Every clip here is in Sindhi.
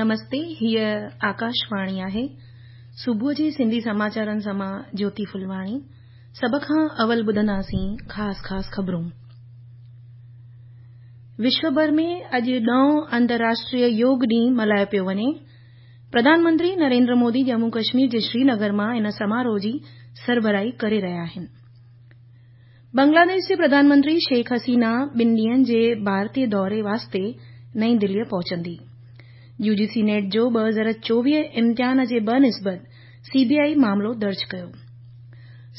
نمستي، هيء آڪاشواڻي آهي. صبح جي سنڌي سماچارن سان مان جيوتي ڦلواڻي. سڀ کان اول ٻڌنداسين خاص خاص خبرون. وشو ڀر ۾ اڄ ڏهون انترراشٽريه يوگ ڏينهن ملهايو پيو وڃي. پرڌان منتري نريندر مودي ڄمون ڪشمير جي شرينگر مان ان سماروهه جي سربراهي ڪري رهيا آهن. بنگلاديش جي پرڌان منتري شيخ حسينه ٻن ڏينهن جي ڀارتي دوري واسطي نئين دليء پهچندي. يو جي سي نيٽ جو 2024 امتحان جي بنسبت سي بي آء معاملو درج ڪيو.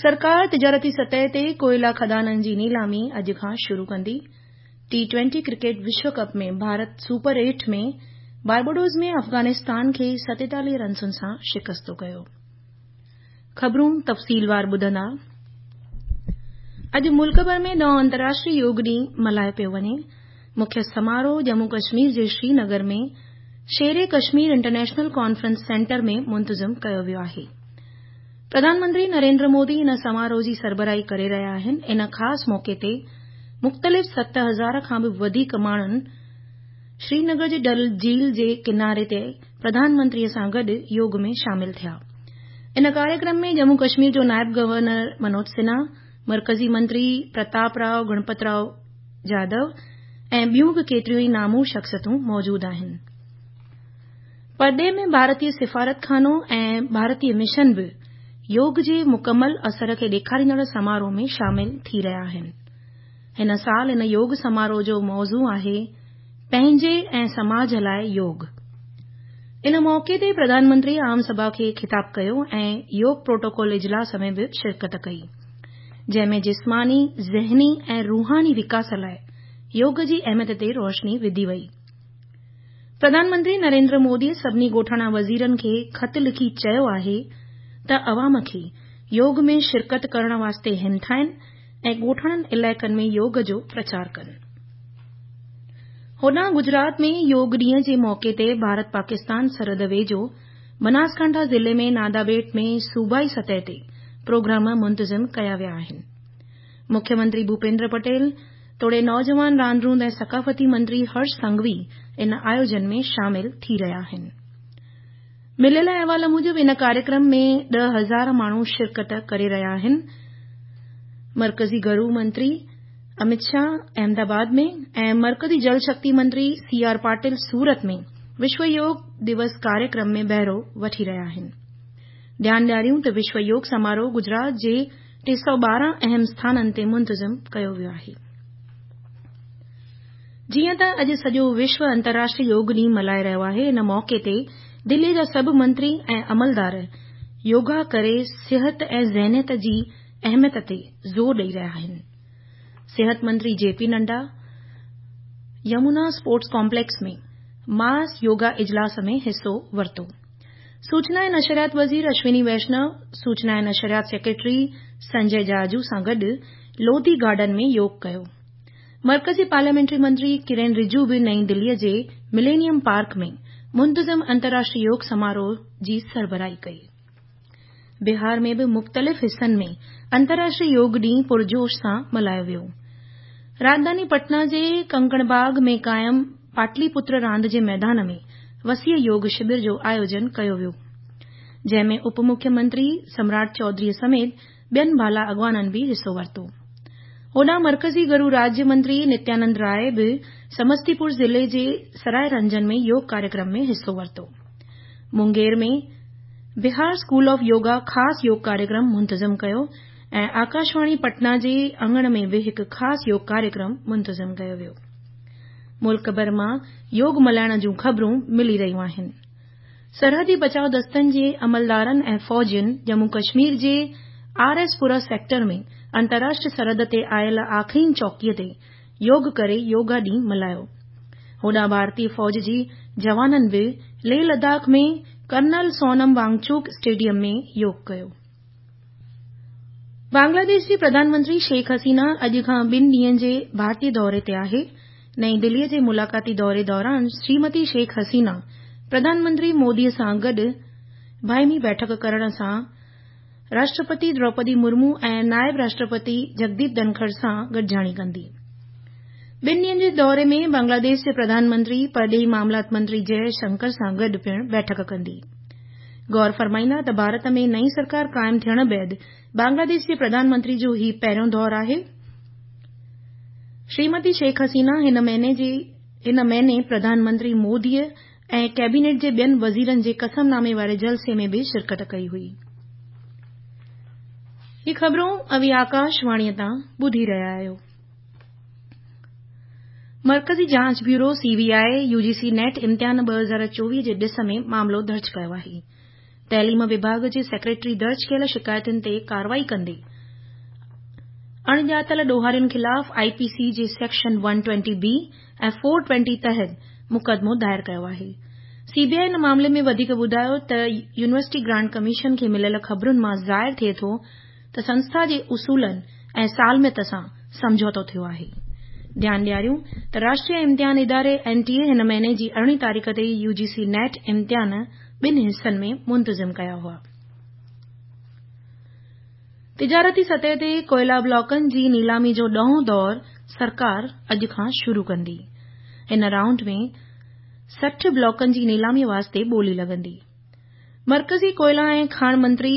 سرڪار تجارتي سطح تي ڪوئلا کدانن جي نيلامي اڄ کان شروع ڪندي. ٽي ٽوئنٽي ڪرڪيٽ وشو cup ۾ Bharat super eight ۾ Barbados ۾ Afghanistan کي 47 رنسن سان شڪست ڪيو. خبرون تفصيلوار ٻڌندا. اڄ ملڪ ڀر ۾ ڏهون انترراشٽريه يوگ ڏينهن ملهايو پيو وڃي. مکيه سماروهه ڄمون ڪشمير جي شرينگر ۾ شير ڪشمير انٽرنيشنل ڪانفرنس سينٽر ۾ منتظم ڪيو ويو آهي. پرڌان منتري نريندر مودي ان سماروهه جي سربراهي ڪري رهيا آهن. ان خاص موقعي تي مختلف 7000 کان به وڌيڪ ماڻهن شرينگر جي ڊل جهيل جي ڪناري تي پرڌان منتري سان گڏ يوگ ۾ شامل ٿيا. ان ڪاريڪرم ۾ ڄمون ڪشمير جو نائب گورنر منوج سنها، مرڪزي منتري پرتاپ رائو گڻپت رائو جادو ۽ ٻيون به ڪيتريون ئي نامور شخصيتون موجود آهن. پرڏيهه ۾ ڀارتي سفارتخانو ۽ ڀارتي مشن به يوگ جي مڪمل اثر کي ڏيکاريندڙ سماروهه ۾ شامل ٿي رهيا آهن. هن سال ان يوگ سماروهه جو موضوع آهي پنهنجي ۽ سماج لاء يوگ. ان موقعي تي پرڌان منتري عام سڀا کي خطاب ڪيو ۽ يوگ پروٽوڪول اجلاس ۾ به شرڪت ڪئي، جنهن ۾ جسماني، ذهني ۽ روحاني وڪاس لاء يوگ جي اهميت تي روشني وڌي وئي. پرڌان منتري نريندر مودي سڀني ڳوٺاڻا وزيرن کي خط لکي چيو آهي ته عوام کي يوگ ۾ شرڪت ڪرڻ واسطي همٿائين ۽ ڳوٺاڻن علائقن ۾ يوگ جو پرچار ڪن. هوڏانهن گجرات ۾ يوگ ڏينهن جي موقعي تي ڀارت پاڪستان سرحد ويجهو بناسڪانٺا ضلعي ۾ نادابيٽ ۾ صوبائي سطح تي پروگرام منتظم ڪيا ويا آهن. مکيه منتري ڀوپيندر پٽيل توڙي نوجوان راند روند ۽ ثقافتي منتري هرش سنگهوي ان آيوجن ۾ شامل ٿي رهيا آهن. مليل احوال موجب ان ڪاريڪرم ۾ 10,000 ماڻهو شرڪت ڪري رهيا آهن. مرڪزي گهرو منتري امت شاهه احمد آباد ۾ ۽ مرڪزي جل شڪتي منتري سي آر پاٽل سورت ۾ وشو يوگ دوس ڪاريڪرم ۾ بهرو وٺي رهيا آهن. ڌيان ڏياريون ته وشو يوگ سماروهه گجرات جي 312 اهم اسٿانن تي منتظم ڪيو ويو آهي. جيئن ته اڄ سڄو وشو انترراشٽريه يوگ ڏينهن ملهائي رهيو آهي، ان موقعي تي دلي جا سڀ منتري ۽ عملدار يوگا ڪري صحت ۽ ذهنيت جي اهميت تي زور ڏئي رهيا آهن. صحت منتري جي پي نڊا يمونا اسپورٽس ڪامپليڪس ۾ ماس يوگا اجلاس ۾ حصو ورتو. سوچنا ۽ نشريات وزير اشوني ويشنو سوچنا ۽ نشريات سيڪريٽري سنجي جاجو سان گڏ لوڌي گارڊن ۾ يوگ ڪيو. مرڪزي پارليامينٽري منتري ڪرين رجو به نئين دلي جي ملينيم پارڪ ۾ منتظم انترراشٽريه يوگ سماروهه جي سربراهي ڪئي. بهار ۾ به مختلف حصن ۾ انترراشٽريه يوگ ڏينهن پرجوش سان ملهايو ويو. راڄڌاني پٽنا جي ڪنڪڻباغ ۾ قائم پاٽلي پتر راند جي ميدان ۾ وسيع يوگ شبر جو آيوجن ڪيو ويو، جنهن ۾ اپ مکيه منتري سمراٽ چوڌري سميت ٻين بالا اڳواڻن به حصو ورتو. هوڏانهن مرڪزي گهرو راجيه منتري نتيانند راء به سمستي پور ضلعي جي سرائي رنجن ۾ يوگ ڪاريڪرم ۾ حصو ورتو. مونگير ۾ بهار اسڪول آف يوگا خاص يوگ ڪاريڪرم منتظم ڪيو ۽ آڪاشواڻي پٽنا جي اڱڻ ۾ به هڪ خاص يوگ ڪاريڪرم منتظم ڪيو ويو. ملڪ ڀر مان يوگ ملهائڻ جون خبرون ملي رهيون آهن. سرحدي بچاء دستن جي عملدارن ۽ فوجين ڄمون ڪشمير جي آر ايس پورا سيڪٽر ۾ انترراشٽريه سرحد تي آيل آخرين چوڪي تي يوگ ڪري يوگا ڏينهن ملهايو. هوڏانهن ڀارتي فوج جي جوانن به ليهه لداخ ۾ ڪرنل سونم وانگچوڪ اسٽيڊيم ۾ يوگ ڪيو. بنگلاديش جي پرڌان منتري شيخ حسينه اڄ کان ٻن ڏينهن جي ڀارتي دوري تي آهي. نئين دلي جي ملاقاتي دوري دوران شريمتي شيخ حسينه پرڌان منتري مودي سان گڏ باهمي بيٺڪ ڪرڻ سان راشٽرپتي دروپدي مرمو ۽ نائب راشٽرپتي جگديپ ڌنکڙ سان گڏجاڻي ڪندي. ٻن ڏينهن جي دوري ۾ بنگلاديش جي پرڌان منتري پرڏيهي معاملات منتري جئه شنڪر سان گڏ پڻ بيٺڪ ڪندي. غور فرمائيندا ته ڀارت ۾ نئين سرڪار قائم ٿيڻ بعد بنگلاديش جي پرڌان منتري جو هي پهريون دور آهي. شريمتي شيخ حسينه هن مهيني پرڌان منتري موديء ۽ ڪيبينيٽ جي ٻين وزيرن جي قسم نامي واري جلسي ۾ به شرڪت ڪئي هئي. هي خبرون اوهين آڪاشواڻيء تان ٻڌي رهيا آهيو. مرڪزي جاچ bureau, C B I, U G C NET امتحان 2024 جي ڏس ۾ معاملو درج ڪيو آهي. تعليم وڀاڳ جي سيڪريٽري درج ڪيل شڪايتن تي ڪارروائي ڪندي اڻڄاتل ڏوهارين خلاف آء پي سي جي سيڪشن ون ٽوئنٽي بي ۽ فور ٽوئنٽي تحت مقدمو دائر ڪيو آهي. سي بي آء ان معاملي ۾ وڌيڪ ٻڌايو ته يونيورسٽي گرانٽ ڪميشن کي مليل خبرن مان ظاهر ٿئي ٿو ته سنسٿا جي اصولن ۽ سالميت سان سمجهوتو ٿيو آهي. ڌيان ڏياريون ته راشٽريه امتحان اداري اين ٽي اي هن مهيني جي ارڙهين تاريخ تي يو جي سي نيٽ امتحان ٻن حصن ۾ منتظم ڪيا هئا. تجارتي سطح تي ڪوئلا بلاڪن جي نيلامي جو ڏهون دور سرڪار اڄ کان شروع ڪندي. هن رائونڊ ۾ 60 بلاڪن جي نيلامي واسطي ٻولي لڳندي. مرڪزي ڪوئلا ۽ کاڻ منتري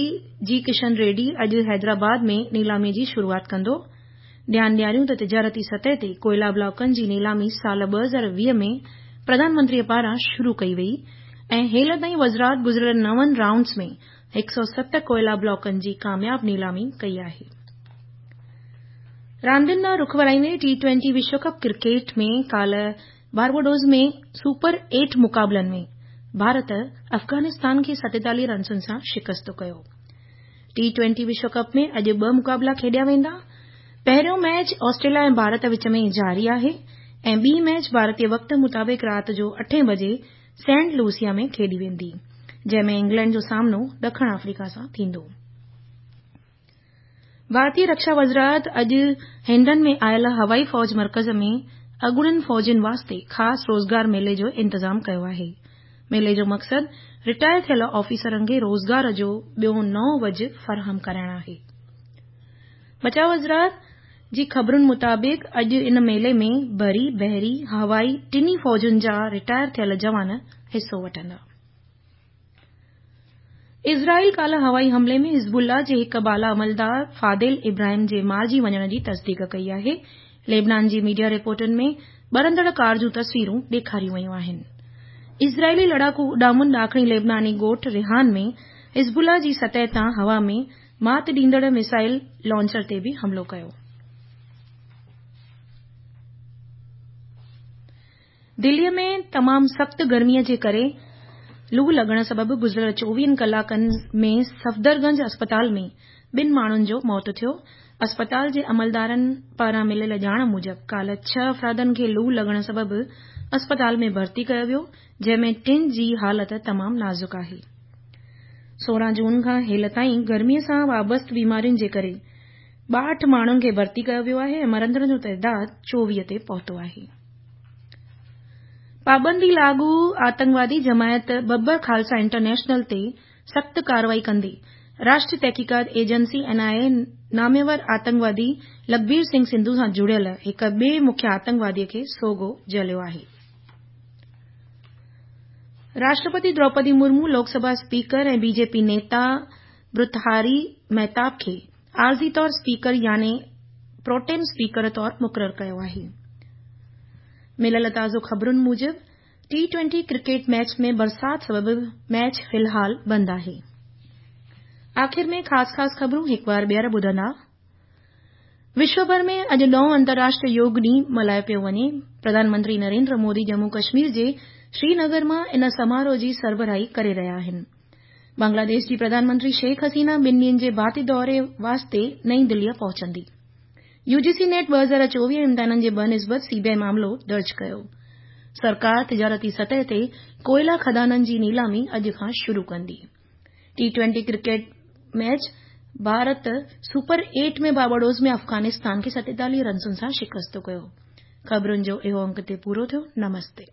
جي ڪشن ريڊي اڄ حيدرآباد ۾ نيلامي جي شروعات ڪندو. ڌيان ڏياريون ته تجارتي سطح تي ڪوئلا بلاڪن جي نيلامي سال 2020 ۾ پرڌان منتري پاران شروع ڪئي وئي ۽ هيل تائين وزارت گذريل نون رائونڊز ۾ 107 ڪوئلا بلاڪن جي ڪامياب نيلامي ڪئي آهي. راندين ڏانهن رخ ورائيندي ٽي ٽوئنٽي وشو ڪپ ڪرڪيٽ ۾ ڪالهه بارباڊوس ۾ سپر ايٽ مقابلن ۾ ڀارت افغانستان کي 47 رنسن سان شڪست ڪيو. ٽي ٽوئنٽي وشو ڪپ ۾ اڄ ٻه مقابلا کيڏيا ويندا. پهريون ميچ آسٽريليا ۽ ڀارت وچ ۾ جاري آهي ۽ ٻي ميچ ڀارتي وقت مطابق رات جو اٺين بجي سينٽ لوسيا ۾ کيڏي ويندي، جنهن ۾ انگلينڊ جو سامنو ڏکڻ آفريڪا سان ٿيندو. ڀارتي رڪشا وزارت اڄ هنڊن ۾ آيل هوائي فوج مرڪز ۾ اڳوڻن فوجين واسطي خاص روزگار ميلي جو انتظام ڪيو آهي. ميلي جو مقصد رٽائر ٿيل آفيسرن کي روزگار جو ٻيو نئون وجهه فراهم ڪرائڻ آهي. بچاء وزارت جي خبرن مطابق اڄ ان ميلي ۾ بري، بحري، هوائي ٽنهي فوجن جا رٽائر ٿيل جوان حصو وٺندا. اسرائيل ڪالهه هوائي حملي ۾ حزب الله جي هڪ بالا عملدار فاديل ابراهيم جي مارجي وڃڻ جي تصديق ڪئي آهي. ليبنان جي ميڊيا رپورٽن ۾ ٻرندڙ ڪار جون تصويرون ڏيکاريون ويون آهن. اسرائيلي لڙاڪو اڏامن ڏاکڻي ليبناني ڳوٺ ريحان ۾ حزب الله جي سطح تان هوا ۾ مات ڏيندڙ ميسائل لانچر تي به حملو ڪيو. دليء ۾ تمام سخت گرميء جي ڪري لو لڳڻ سبب گذريل چوويهن ڪلاڪن ۾ صفدر گنج اسپتال ۾ ٻن ماڻهن جو موت ٿيو. اسپتال جي عملدارن پاران مليل ڄاڻ موجب ڪالهه ڇهه افرادن کي لو لڳڻ سبب اسپتال ۾ ڀرتي ڪيو ويو، جنهن ۾ ٽن جي حالت تمام نازڪ آهي. 16 جون کان هيل تائين گرميء سان وابسته بيمارين جي ڪري 62 ماڻهن کي ڀرتي ڪيو ويو آهي ۽ مرندڙن جو تعداد 24 تي پهتو آهي. پابندي لاڳو آتنڪوادي جماعت ببر خالصا انٽرنيشنل تي سخت ڪارروائي ڪندي راشٽريه تحقيقات ايجنسي، اين آء اي، ناميور آتنڪوادي لکبير سنگهه سنڌو سان جڙيل هڪ ٻئي مکيه آتنڪوادي کي سوگهو جهليو آهي. راشٽرپتي دروپدي مرمو لوڪ سڀا اسپيڪر ۽ بي جي پي نيتا ڀرتهاري مهتاب کي عارضي طور اسپيڪر يعني پروٽيم اسپيڪر طور مقرر ڪيو آهي. مليل تازو خبرن موجب ٽي ٽوئنٽي ڪرڪيٽ ميچ ۾ برسات سبب ميچ في الحال بند آهي. آخر ۾ خاص خاص خبرون هڪ وار ٻيهر ٻڌندا. وشو ڀر ۾ اڄ ڏهون انترراشٽريه يوگ ڏينهن ملهايو پيو وڃي. پرڌان منتري نريندر مودي ڄمون ڪشمير جي سرينگر مان ان سماروهه جي سربراهي ڪري رهيا آهن. بنگلاديش جي پرڌان منتري شيخ حسينه ٻن ڏينهن جي ڀارتي دوري واسطي نئين دليء پهچندي. يو جي سي نيٽ 2024 امتحانن جي بنسبت سي بي آء معاملو درج ڪيو. سرڪار تجارتي سطح تي ڪوئلا کدانن جي نيلامي اڄ کان شروع ڪندي. T twenty cricket match Bharat super eight ۾ Barbados ۾ Afghanistan کي 47 رنسن سان شڪست ڪيو. خبرن جو اهو انڪ هتي پورو ٿيو. نمستي.